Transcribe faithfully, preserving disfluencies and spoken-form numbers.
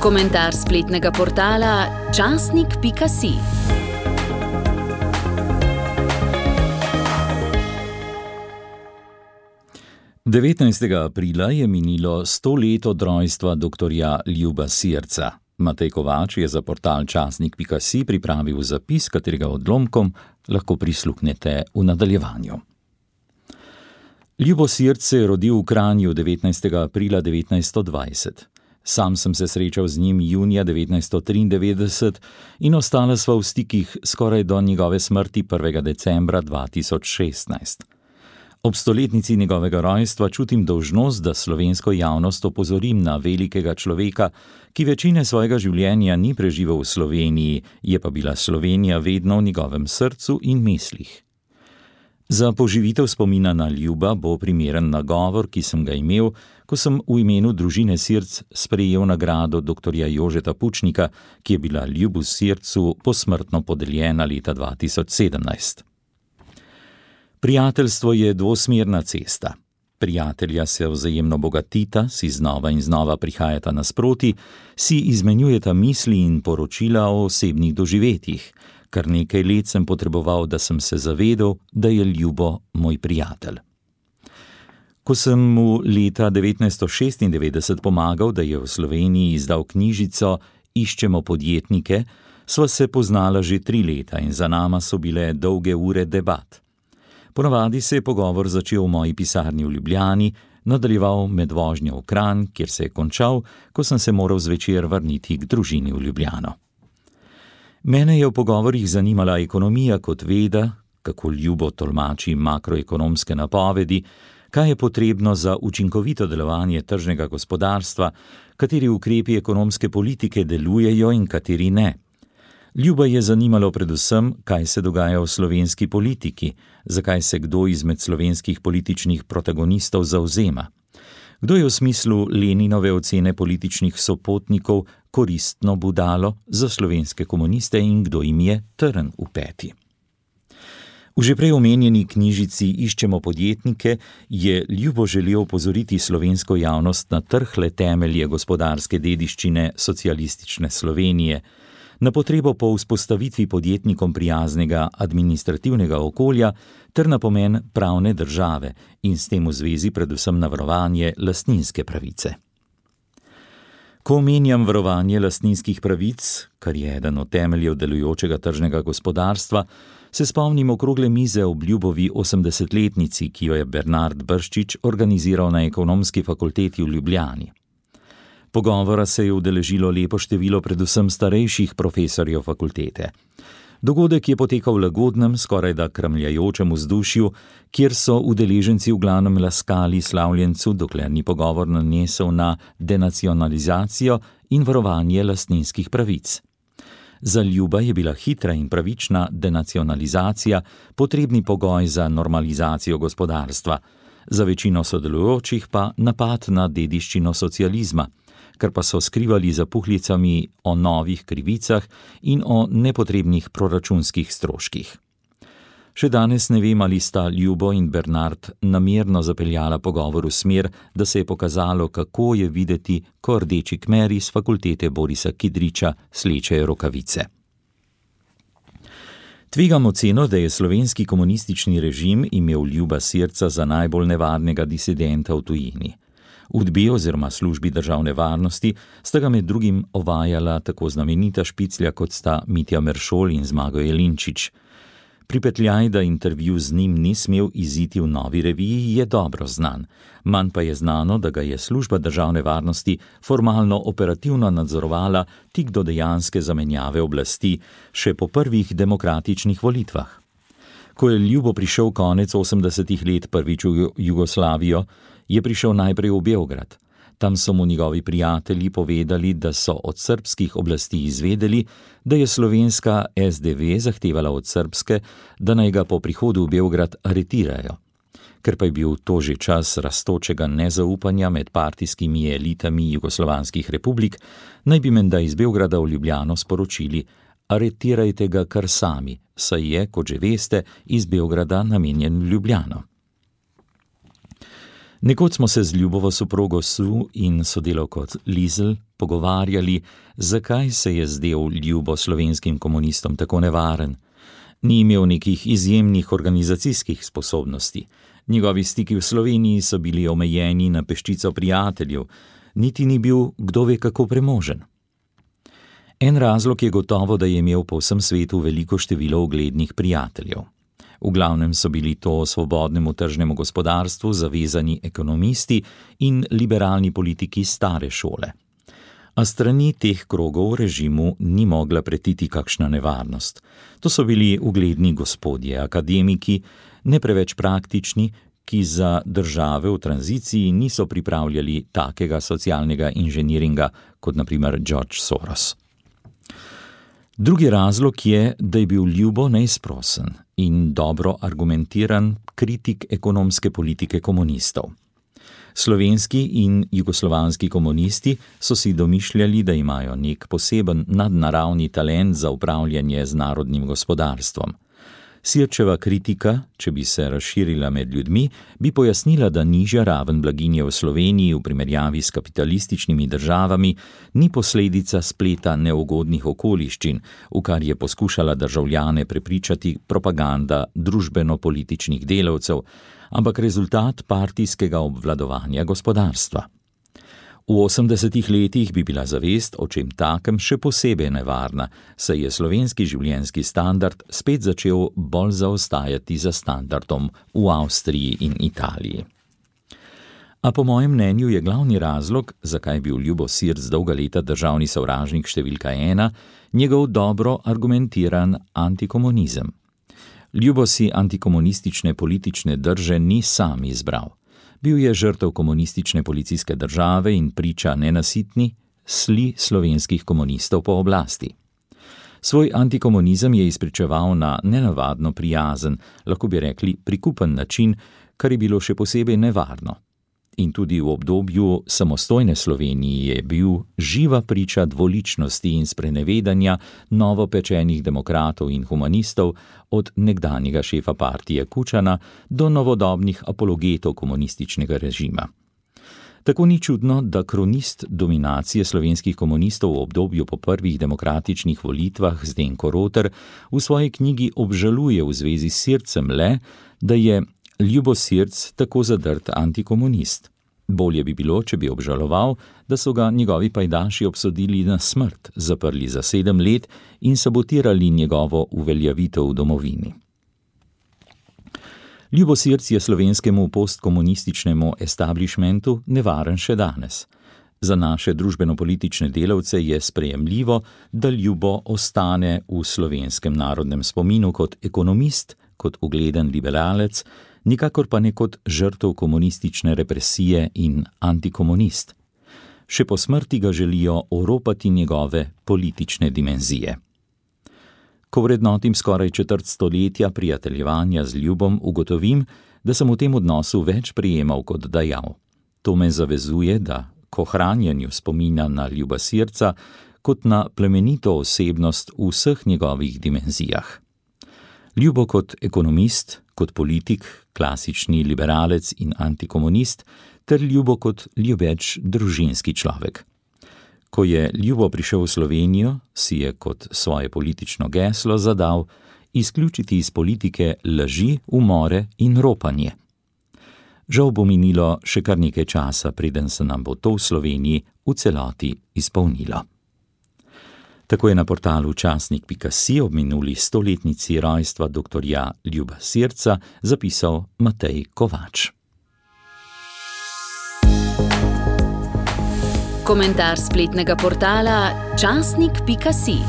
Komentar spletnega portala časnik pika si. devetnajstega aprila je minilo sto let od rojstva doktorja Ljuba Sirca. Matej Kovač je za portal časnik pika si pripravil zapis, katerega odlomkom lahko prisluhnete v nadaljevanju. Ljubo Sirc se je rodil v Kranju devetnajstega aprila devetnajststo dvajset. Sam sem se srečal z njim junija devetnajststo triindevetdeset in ostala sva v stikih skoraj do njegove smrti prvega decembra dva tisoč šestnajst. Ob stoletnici njegovega rojstva čutim dolžnost, da slovensko javnost opozorim na velikega človeka, ki večine svojega življenja ni preživel v Sloveniji, je pa bila Slovenija vedno v njegovem srcu in mislih. Za poživitev spomina na Ljuba bo primeren nagovor, ki sem ga imel, ko sem v imenu družine Sirc sprejel nagrado doktorja Jožeta Pučnika, ki je bila Ljubu Sircu posmrtno podeljena leta dva tisoč sedemnajst. Prijateljstvo je dvosmerna cesta. Prijatelja se vzajemno bogatita, si znova in znova prihajata nasproti, si izmenjujeta misli in poročila o osebnih doživetjih. Kar nekaj let sem potreboval, da sem se zavedel, da je Ljubo moj prijatelj. Ko sem mu leta devetnajststo šestindevetdeset pomagal, da je v Sloveniji izdal knjižico Iščemo podjetnike, sva se poznala že tri leta in za nama so bile dolge ure debat. Ponavadi se je pogovor začel v moji pisarni v Ljubljani, nadaljeval med vožnjo v Kranj, kjer se je končal, ko sem se moral zvečer vrniti k družini v Ljubljano. Mene je v pogovorih zanimala ekonomija kot veda, kako Ljubo tolmači makroekonomske napovedi, kaj je potrebno za učinkovito delovanje tržnega gospodarstva, kateri ukrepi ekonomske politike delujejo in kateri ne. Ljuba je zanimalo predvsem, kaj se dogaja v slovenski politiki, zakaj se kdo izmed slovenskih političnih protagonistov zavzema. Kdo je v smislu Leninove ocene političnih sopotnikov koristno budalo za slovenske komuniste in kdo jim je trn v peti. V že prej omenjeni knjižici Iščemo podjetnike je Ljubo želel opozoriti slovensko javnost na trhle temelje gospodarske dediščine socialistične Slovenije, na potrebo po vzpostavitvi podjetnikom prijaznega administrativnega okolja ter na pomen pravne države in s tem v zvezi predvsem na varovanje lastninske pravice. Ko omenjam varovanje lastninskih pravic, kar je eden od temeljev delujočega tržnega gospodarstva, se spomnim okrogle mize ob Ljubovi osemdesetletnici, ki jo je Bernard Brščič organiziral na Ekonomski fakulteti v Ljubljani. Pogovora se je udeležilo lepo število predvsem starejših profesorjev fakultete. Dogodek je potekal v lagodnem, skorajda kramljajočem vzdušju, kjer so udeleženci v glavnem laskali slavljencu, dokler ni pogovor nanesel na denacionalizacijo in varovanje lastninskih pravic. Za Ljuba je bila hitra in pravična denacionalizacija potrebni pogoj za normalizacijo gospodarstva, za večino sodelujočih pa napad na dediščino socializma, kar pa so skrivali za puhlicami o novih krivicah in o nepotrebnih proračunskih stroških. Še danes ne vem, ali sta Ljubo in Bernard namerno zapeljala pogovor v smer, da se je pokazalo, kako je videti, ko rdeči kmeri z fakultete Borisa Kidriča slečejo rokavice. Tvegam oceno, da je slovenski komunistični režim imel Ljuba Sirca za najbolj nevarnega disidenta v tujini. V UDBI oziroma službi državne varnosti sta ga med drugim ovajala tako znamenita špiclja, kot sta Mitja Meršol in Zmago Jelinčič. Pripetljaj, da intervju z njim ni smel iziti v Novi reviji, je dobro znan. Manj pa je znano, da ga je služba državne varnosti formalno operativno nadzorovala tik do dejanske zamenjave oblasti, še po prvih demokratičnih volitvah. Ko je Ljubo prišel konec osemdesetih let prvič v Jugoslavijo, je prišel najprej v Beograd. Tam so mu njegovi prijatelji povedali, da so od srbskih oblasti izvedeli, da je slovenska es de ve zahtevala od srbske, da naj ga po prihodu v Beograd aretirajo. Ker pa je bil to že čas rastočega nezaupanja med partijskimi elitami jugoslovanskih republik, naj bi menda iz Beograda v Ljubljano sporočili: aretirajte ga kar sami, saj je, kot že veste, iz Beograda namenjen v Ljubljano. Nekoč smo se z Ljubovo soprogo Su in sodelavko Lizel pogovarjali, zakaj se je zdel Ljubo slovenskim komunistom tako nevaren. Ni imel nekih izjemnih organizacijskih sposobnosti. Njegovi stiki v Sloveniji so bili omejeni na peščico prijateljev, niti ni bil kdo ve kako premožen. En razlog je gotovo, da je imel po vsem svetu veliko število uglednih prijateljev. V glavnem so bili to svobodnemu tržnemu gospodarstvu zavezani ekonomisti in liberalni politiki stare šole. A strani teh krogov režimu ni mogla pretiti kakšna nevarnost. To so bili ugledni gospodje, akademiki, ne preveč praktični, ki za države v tranziciji niso pripravljali takega socialnega inženiringa kot na primer George Soros. Drugi razlog je, da je bil Ljubo neizprosen in dobro argumentiran kritik ekonomske politike komunistov. Slovenski in jugoslovanski komunisti so si domišljali, da imajo nek poseben nadnaravni talent za upravljanje z narodnim gospodarstvom. Sirčeva kritika, če bi se razširila med ljudmi, bi pojasnila, da nižja raven blaginje v Sloveniji v primerjavi s kapitalističnimi državami ni posledica spleta neugodnih okoliščin, v kar je poskušala državljane prepričati propaganda družbeno-političnih delavcev, ampak rezultat partijskega obvladovanja gospodarstva. V osemdesetih letih bi bila zavest o čem takem še posebej nevarna, saj je slovenski življenjski standard spet začel bolj zaostajati za standardom v Avstriji in Italiji. A po mojem mnenju je glavni razlog, zakaj je bil Ljubo Sirc dolga leta državni sovražnik številka ena, njegov dobro argumentiran antikomunizem. Ljubo si antikomunistične politične drže ni sam izbral. Bil je žrtev komunistične policijske države in priča nenasitni sli slovenskih komunistov po oblasti. Svoj antikomunizem je izpričeval na nenavadno prijazen, lahko bi rekli prikupen način, kar je bilo še posebej nevarno. In tudi v obdobju samostojne Slovenije je bil živa priča dvoličnosti in sprenevedanja novopečenih demokratov in humanistov od nekdanjega šefa partije Kučana do novodobnih apologetov komunističnega režima. Tako ni čudno, da kronist dominacije slovenskih komunistov v obdobju po prvih demokratičnih volitvah Zdenko Roter v svoji knjigi obžaluje v zvezi s Sircem le, da je Ljubo Sirc tako zadrt antikomunist. Bolje bi bilo, če bi obžaloval, da so ga njegovi pajdaši obsodili na smrt, zaprli za sedem let in sabotirali njegovo uveljavitev v domovini. Ljubo Sirc je slovenskemu postkomunističnemu establishmentu nevaren še danes. Za naše družbeno-politične delavce je sprejemljivo, da Ljubo ostane v slovenskem narodnem spominu kot ekonomist, kot ugleden liberalec, nikakor pa ne kot žrtev komunistične represije in antikomunist. Še po smrti ga želijo oropati njegove politične dimenzije. Ko vrednotim skoraj četrt stoletja prijateljevanja z Ljubom, ugotovim, da sem v tem odnosu več prejemal kot dajal. To me zavezuje, da k ohranjanju spomina na Ljuba Sirca kot na plemenito osebnost v vseh njegovih dimenzijah. Ljubo kot ekonomist, kot politik, klasični liberalec in antikomunist, ter Ljubo kot ljubeč družinski človek. Ko je Ljubo prišel v Slovenijo, si je kot svoje politično geslo zadal izključiti iz politike laži, umore in ropanje. Žal bo minilo še kar nekaj časa, preden se nam bo to v Sloveniji v celoti izpolnilo. Tako je na portalu časnik pika si ob minuli stoletnici rojstva doktorja Ljuba Sirca zapisal Matej Kovač. Komentar spletnega portala časnik pika si.